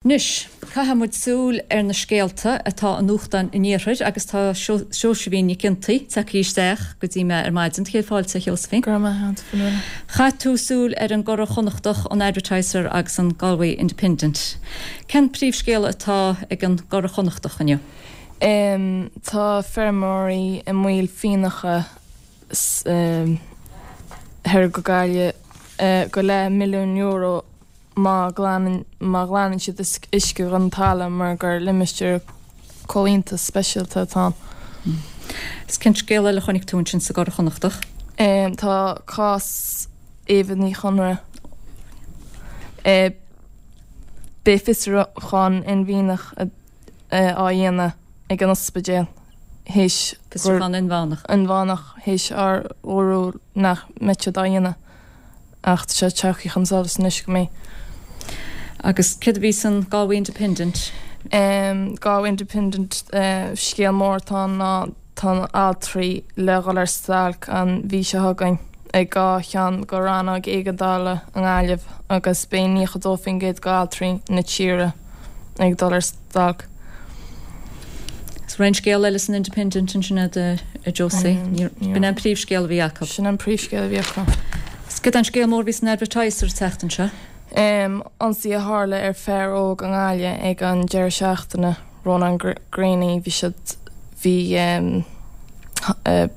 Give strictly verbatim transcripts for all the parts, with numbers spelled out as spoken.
Anois, caithfidh muid súil ar na scéalta atá i nuachtáin an Iarthair agus tá Seosaimhín Nic Fhionntaigh tagtha isteach go dtí mé ar maidin. Céad fáilte, a Sheosaimhín. Go raibh maith agat, Fionnuala. Chaith tú súil ar an gCuradh Chonnachtach, an Advertiser agus an Galway Independent. Cén príomhscéal atá ag an gCuradh Chonnachtach inniu? Um, tá feirmeoirí i mbaol fíneálacha um, thoir go Gaillimh uh, go leath milliún euro má ghlanann má ghlanann siad uisce den talamh mar gur limistéar comhaontas speisialta atá. Is cén scéal eile a chonaic tú ansin sa gCuradh Chonnachtach? Um, tá cás Éabha Ní Chonaire. Uh, Beidh fiosrúchán inmheánach á dhéanamh ag an ospidéal théis Fiosrúchán inmheánach. inmheánach théis ar dúradh nach mbeadh siad á dhéanamh ach tá sé tagtha chun solais anois go mbeidh. Agus céard a bhí san Galway Independent? Um, Galway Independent uh, scéal mór tá ná tá altraí le dhul ar stailc an mhí seo chugainn ag dhá cheann de rannóga éigeandála i nGaillimh agus beidh nócha dó faoin gcéad d'altraí na tíre ag dul ar stailc. Is raon scéal eile san Independent ansin a a Josie. B'in an príomhscéal a bhí acu. Sin an príomhscéal a bhí acu. Cad an scéal mór bhí san Advertiser an tseachtain seo? Um, ionsaí a tharla ar fear óg i nGaillimh ag an deireadh seachtaine Ronan Greaney bhí siad bhí um, uh,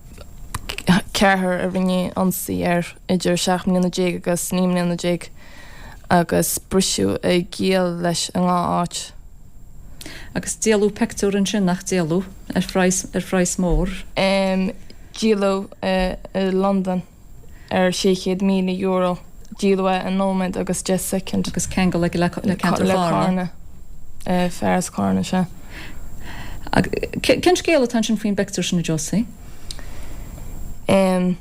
ceathrar a rinne ionsaí air idir seacht mbliana déag agus naoi mbliana déag agus briseadh a giall leis an ngá áit. Agus díoladh pictiúr ansin nach díoladh ar phraghas ar phraghas mór. Um, díoladh uh, i London ar sé chéad míle euro. Díoladh i nóiméad agus deich soicind. Agus ceangal le le ceantar Chárna. Uh, fear as Carna sé. Cén scéal atá sin faoin bpictiúr sin a Josie? Um,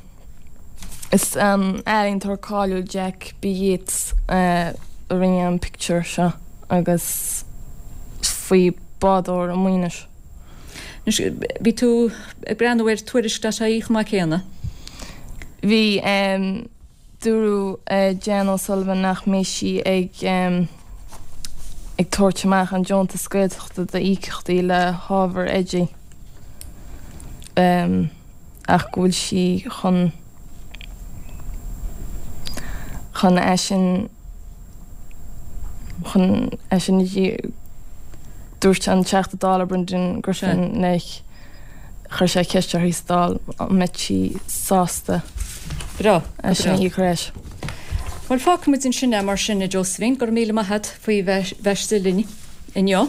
is an ealaíontóir cáiliúil Jack B. Yeats uh, a rinne an pictiúr seo agus faoi bádóir i Maínis. Bhí tú ag breathnú ar tuairisc é chomh maith céanna? Bhí um, dúradh uh, Jan O'Sullivan nach mbeidh sí ag um, ag tabhairt amach an deontas Gaeltachta d'íocaíochtaí le hábhar oidí. Um, ach go bhfuil sí chun chun é sin chun é sin dúirt an Teachta Dála Brendan Griffin léi chuir sé ceist uirthi sa Dáil an mbeadh sí sásta Breá é sin í éis. Well fágfaimid ansin é mar sin a Josephine, go raibh míle maith agat faoi bheith linn inniu.